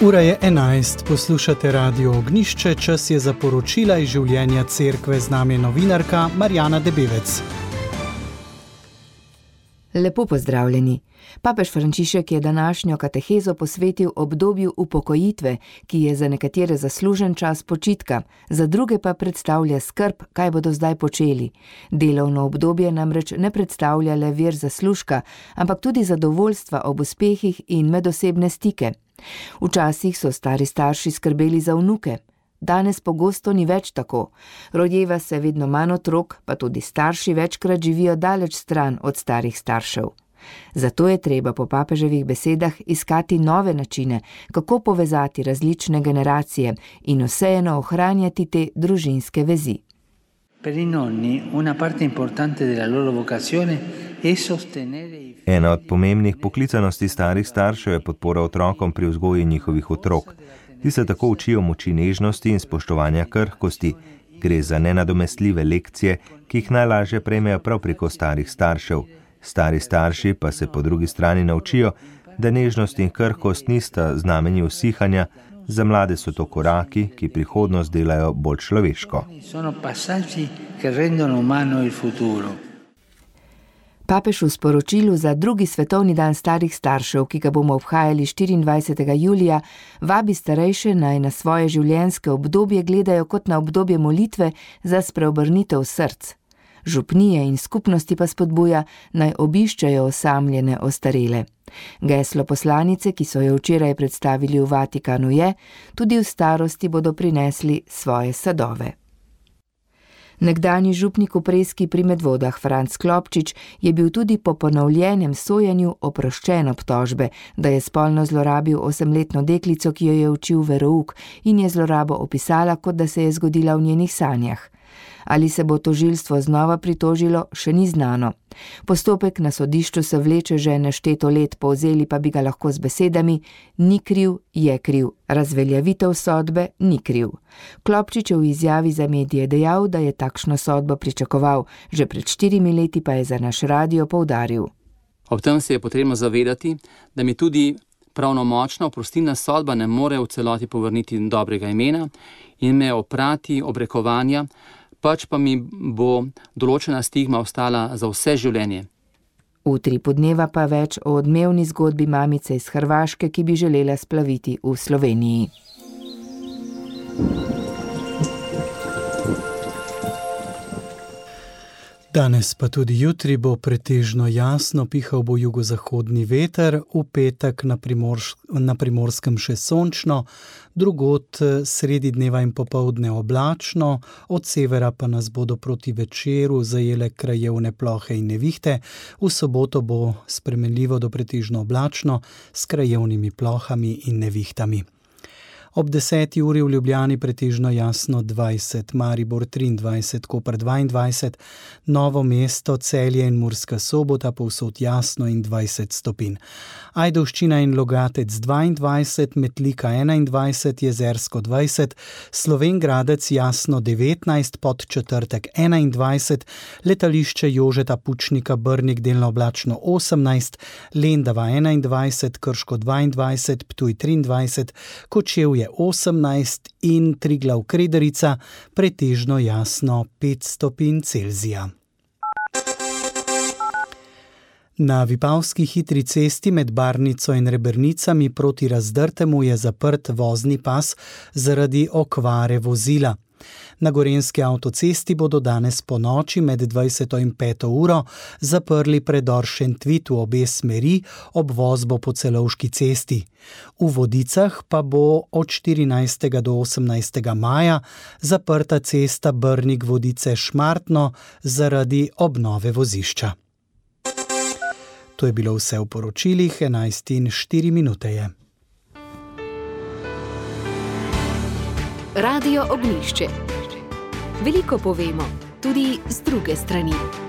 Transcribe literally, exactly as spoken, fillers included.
Ura je enajst, poslušate Radio Ognjišče, čas je za poročila iz življenja cerkve, z nami je novinarka Marjana Debevec. Lepo pozdravljeni. Papež Frančišek je današnjo katehezo posvetil obdobju upokojitve, ki je za nekatere zaslužen čas počitka, za druge pa predstavlja skrb, kaj bodo zdaj počeli. Delovno obdobje namreč ne predstavlja le vir zaslužka, ampak tudi zadovoljstva ob uspehih in medosebne stike. Včasih so stari starši skrbeli za vnuke. Danes pogosto ni več tako. Rojeva se vedno manj otrok, pa tudi starši večkrat živijo daleč stran od starih staršev. Zato je treba po papeževih besedah iskati nove načine, kako povezati različne generacije in vseeno ohranjati te družinske vezi. Ena od pomembnih poklicanosti starih staršev je podpora otrokom pri vzgoji njihovih otrok. Ti se tako učijo moči nežnosti in spoštovanja krhkosti. Gre za nenadomestljive lekcije, ki jih najlažje prejmejo prav preko starih staršev. Stari starši pa se po drugi strani naučijo, da nežnost in krhkost nista znamenji usihanja, za mlade so to koraki, ki prihodnost delajo bolj človeško. Papež v sporočilu za drugi svetovni dan starih staršev, ki ga bomo obhajali štiriindvajsetega julija, vabi starejše naj na svoje življenjske obdobje gledajo kot na obdobje molitve za spreobrnitev src. Župnije in skupnosti pa spodbuja, naj obiščajo osamljene ostarele. Geslo poslanice, ki so jo včeraj predstavili v Vatikanu, je: tudi v starosti bodo prinesli svoje sadove. Nekdanji župnik v Preski pri Medvodah Franc Klopčič je bil tudi po ponovljenem sojenju oproščen obtožbe, da je spolno zlorabil osemletno deklico, ki jo je učil verouk, in je zlorabo opisala, kot da se je zgodila v njenih sanjah. Ali se bo tožilstvo znova pritožilo, še ni znano. Postopek na sodišču se vleče že nešteto let, povzeli pa bi ga lahko z besedami: ni kriv, je kriv, razveljavitev sodbe ni kriv. Klopčič je v izjavi za medije dejal, da je takšno sodbo pričakoval, že pred štirimi leti pa je za naš radio poudaril. Ob tem se je potrebno zavedati, da mi tudi pravnomočna oprostilna sodba ne more v celoti povrniti dobrega imena in me oprati obrekovanja, pač pa mi bo določena stigma ostala za vse življenje. V Utripu dneva pa več o odmevni zgodbi mamice iz Hrvaške, ki bi želela splaviti v Sloveniji. Danes pa tudi jutri bo pretežno jasno, pihal bo jugozahodni veter, v petek na, Primorš- na Primorskem še sončno, drugod sredi dneva in popoldne oblačno, od severa pa nas bodo proti večeru zajele krajevne plohe in nevihte, v soboto bo spremenljivo do pretežno oblačno s krajevnimi plohami in nevihtami. Ob deseti uri v Ljubljani pretežno jasno dvajset, Maribor triindvajset, Koper dvaindvajset, Novo mesto, Celje in Murska Sobota povsod jasno in dvajset stopinj. Ajdovščina in Logatec dvaindvajset, Metlika enaindvajset, Jezersko dvajset, Slovenj Gradec jasno devetnajst, Podčetrtek enaindvajset, Letališče Jožeta Pučnika Brnik delno oblačno osemnajst, Lendava enaindvajset, Krško dvaindvajset, Ptuj triindvajset, Kočevje osemnajst in Triglav Krederica pretežno jasno pet stopinj Celzija. Na Vipavski hitri cesti med Barnico in Rebernicami proti Razdrtemu je zaprt vozni pas zaradi okvare vozila. Na Gorenjski avtocesti bodo danes po noči med dvajseto in peto uro zaprli predor Šentvid v obe smeri, obvoz bo po Celovški cesti. V Vodicah pa bo od štirinajstega do osemnajstega maja zaprta cesta Brnik-Vodice-Šmartno zaradi obnove vozišča. To je bilo vse v poročilih, enajst in štiri minute je. Radio Ognjišče. Veliko povemo, tudi z druge strani.